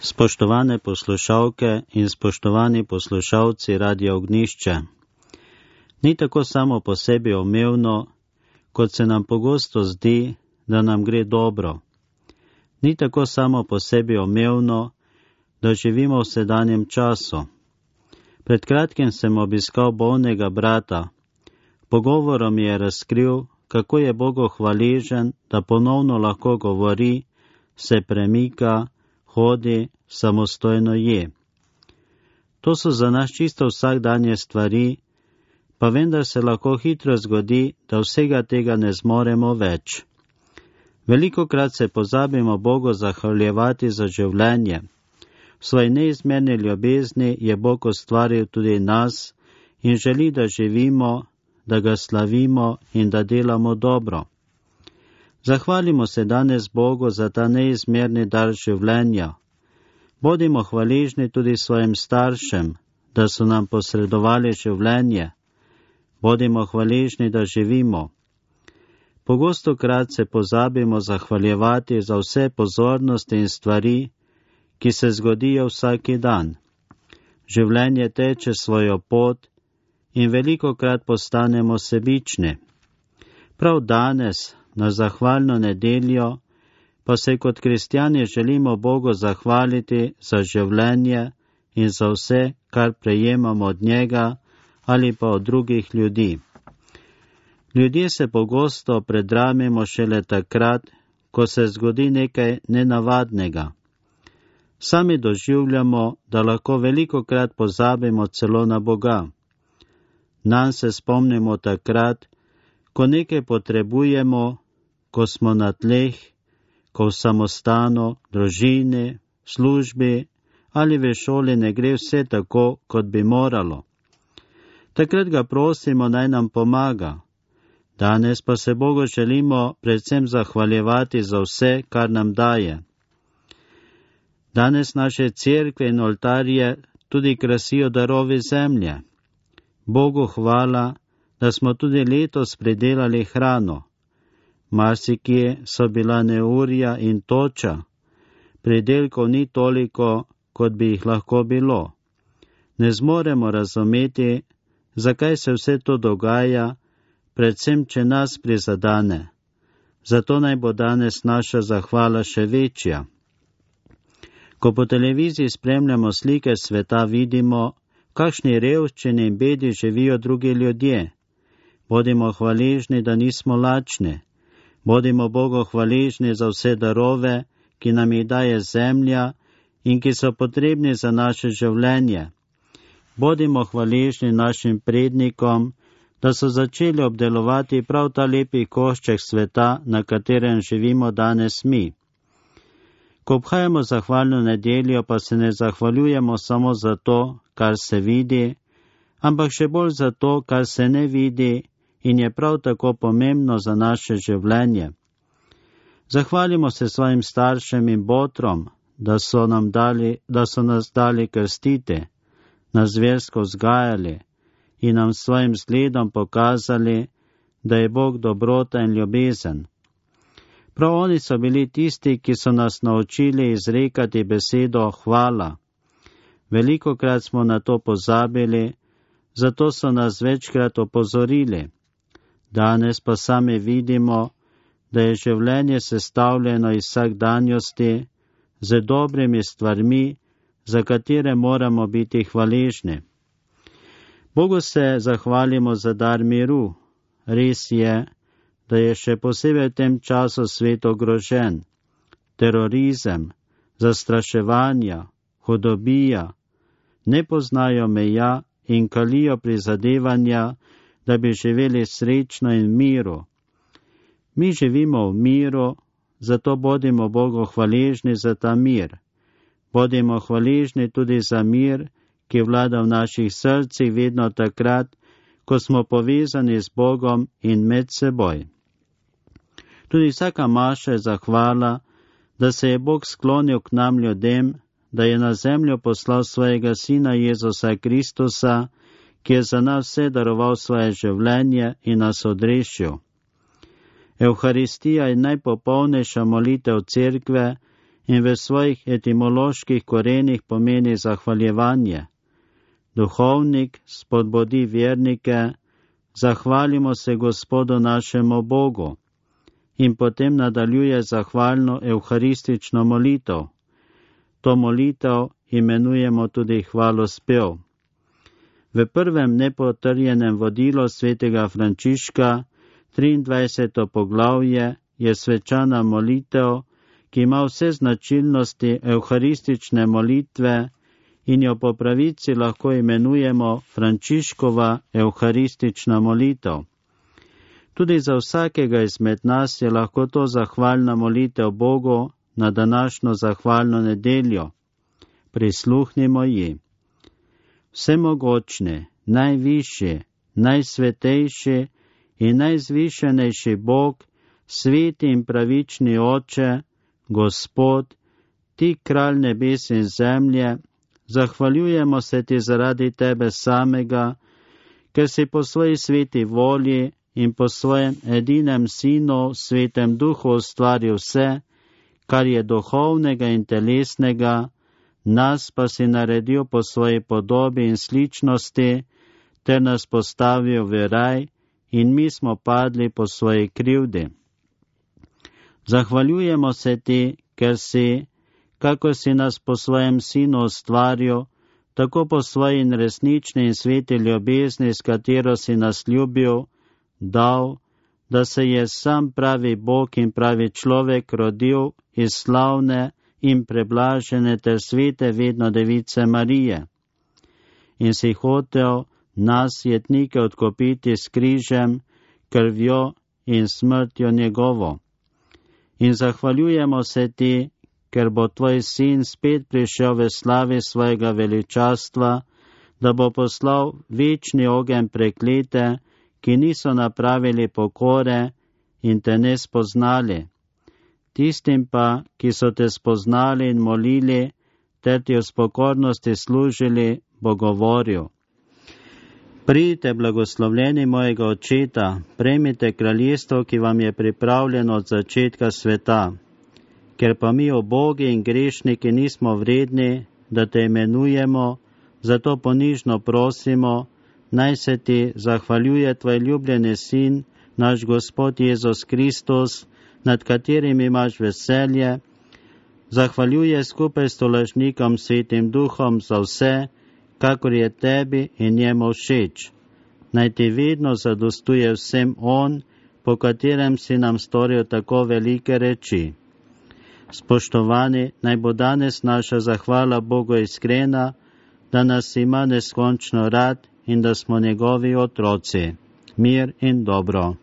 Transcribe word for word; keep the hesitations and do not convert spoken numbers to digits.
Spoštovane poslušalke in spoštovani poslušalci Radia Ognjišče. Ni tako samo po sebi umevno, kot se nam pogosto zdi, da nam gre dobro. Ni tako samo po sebi umevno, da živimo v sedanjem času. Pred kratkim sem obiskal bolnega brata. Pogovorom mi je razkril, kako je Bogu hvaležen, da ponovno lahko govori, se premika, hodi, samostojno je. To so za nas čisto vsakdanje stvari, pa vendar se lahko hitro zgodi, da vsega tega ne zmoremo več. Velikokrat se pozabimo Bogu zahvaljevati za življenje. V svoji neizmerni ljubezni je Bog ustvaril tudi nas in želi, da živimo, da ga slavimo in da delamo dobro. Zahvalimo se danes Bogu za ta neizmerni dar življenja. Bodimo hvaležni tudi svojim staršem, da so nam posredovali življenje. Bodimo hvaležni, da živimo. Pogostokrat se pozabimo zahvaljevati za vse pozornosti in stvari, ki se zgodijo vsaki dan. Življenje teče svojo pot in velikokrat postanemo sebični. Prav danes, na zahvalno nedeljo, pa se kot kristjani želimo Bogu zahvaliti za življenje in za vse, kar prejemamo od njega ali pa od drugih ljudi. Ljudje se pogosto predramimo šele takrat, ko se zgodi nekaj nenavadnega. Sami doživljamo, da lahko velikokrat pozabimo celo na Boga. Nanj se spomnimo takrat, ko nekaj potrebujemo, ko smo na tleh, ko v samostanu, družini, službi ali v šoli ne gre vse tako, kot bi moralo. Takrat ga prosimo, naj nam pomaga. Danes pa se Bogu želimo predvsem zahvaljevati za vse, kar nam daje. Danes naše cerkve in oltarje tudi krasijo darovi zemlje. Bogu hvala, da smo tudi letos pridelali hrano. Marsikje so bila neurja in toča. Pridelkov ni toliko, kot bi jih lahko bilo. Ne zmoremo razumeti, zakaj se vse to dogaja, predvsem, če nas prizadane. Zato naj bo danes naša zahvala še večja. Ko po televiziji spremljamo slike sveta, vidimo, v kakšni revščini in bedi živijo drugi ljudje. Bodimo hvaležni, da nismo lačni. Bodimo Bogu hvaležni za vse darove, ki nam jih daje zemlja in ki so potrebni za naše življenje. Bodimo hvaležni našim prednikom, da so začeli obdelovati prav ta lepi košček sveta, na katerem živimo danes mi. Ko obhajamo zahvalno nedeljo, pa se ne zahvaljujemo samo za to, kar se vidi, ampak še bolj za to, kar se ne vidi in je prav tako pomembno za naše življenje. Zahvalimo se svojim staršem in botrom, da so, nam dali, da so nas dali krstiti, nas versko vzgajali in nam svojim zgledom pokazali, da je Bog dobrota in ljubezen. Prav oni so bili tisti, ki so nas naučili izrekati besedo hvala. Velikokrat smo na to pozabili, zato so nas večkrat opozorili. Danes pa sami vidimo, da je življenje sestavljeno iz vsakdanjosti z dobrimi stvarmi, za katere moramo biti hvaležni. Bogu se zahvalimo za dar miru. Res je, da je še posebej v tem času svet ogrožen. Terorizem, zastraševanja, hudobija ne poznajo meja in kalijo prizadevanja, da bi živeli srečno in v miru. Mi živimo v miru, zato bodimo Bogu hvaležni za ta mir. Bodimo hvaležni tudi za mir, ki vlada v naših srcih vedno takrat, ko smo povezani z Bogom in med seboj. Tudi vsaka maša je zahvala, da se je Bog sklonil k nam ljudem, da je na zemljo poslal svojega Sina Jezusa Kristusa, ki je za nas vse daroval svoje življenje in nas odrešil. Evharistija je najpopolnejša molitev cerkve in v svojih etimoloških korenih pomeni zahvaljevanje. Duhovnik spodbudi vernike, zahvalimo se Gospodu našemu Bogu, in potem nadaljuje zahvalno evharistično molitev. To molitev imenujemo tudi hvalospev. V prvem nepotrjenem vodilu svetega Frančiška, triindvajseto poglavje, je svečana molitev, ki ima vse značilnosti evharistične molitve in jo po pravici lahko imenujemo Frančiškova evharistična molitev. Tudi za vsakega izmed nas je lahko to zahvalna molitev Bogu na današnjo zahvalno nedeljo. Prisluhnimo ji. Vsemogočni, najvišji, najsvetejši in najzvišenejši Bog, sveti in pravični Oče, Gospod, ti kralj nebes in zemlje, zahvaljujemo se ti zaradi tebe samega, ker si po svoji sveti volji in po svojem edinem sinu, svetem duhu ustvaril vse, kar je duhovnega in telesnega, nas pa si naredil po svoji podobi in sličnosti, ter nas postavil v raj in mi smo padli po svoji krivdi. Zahvaljujemo se ti, ker si, kako si nas po svojem sinu ustvaril, tako po svoji resnični in sveti ljubezni, s katero si nas ljubil, dal, da se je sam pravi Bog in pravi človek rodil iz slavne in preblažene ter svete vedno device Marije. In si hotel nas jetnike odkupiti s križem, krvjo in smrtjo njegovo. In zahvaljujemo se ti, ker bo tvoj sin spet prišel v slavi svojega veličastva, da bo poslal večni ogenj preklete, ki niso napravili pokore in te ne spoznali. Tistim pa, ki so te spoznali in molili, ter ti v spokornosti služili, bo govoril. Pridite, blagoslovljeni mojega očeta, prejmite kraljestvo, ki vam je pripravljeno od začetka sveta. Ker pa mi ubogi in grešniki nismo vredni, da te imenujemo, zato ponižno prosimo, naj se ti zahvaljuje tvoj ljubljeni sin, naš Gospod Jezus Kristus, nad katerim imaš veselje, zahvaljuje skupaj s tolažnikom Svetim Duhom za vse, kakor je tebi in njemu všeč. Naj ti vedno zadostuje vsem on, po katerem si nam storil tako velike reči. Spoštovani, naj bo danes naša zahvala Bogu iskrena, da nas ima neskončno rad in da smo njegovi otroci. Mir in dobro.